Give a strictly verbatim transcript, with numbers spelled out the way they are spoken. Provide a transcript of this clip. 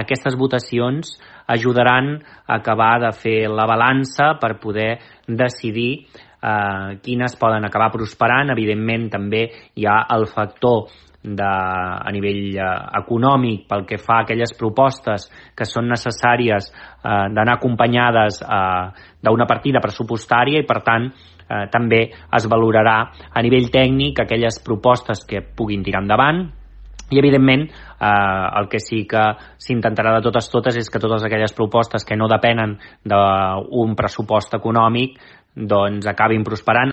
aquestes votacions ajudaran a acabar de fer la balança per poder decidir eh, quines poden acabar prosperant. Evidentment, també hi ha el factor de, a nivell eh, econòmic pel que fa a aquelles propostes que són necessàries eh, d'anar acompanyades eh, d'una partida pressupostària i, per tant, eh, també es valorarà a nivell tècnic aquelles propostes que puguin tirar endavant. I, evidentment, eh, el que sí que s'intentarà de totes totes és que totes aquelles propostes que no depenen d'un pressupost econòmic doncs acabin prosperant.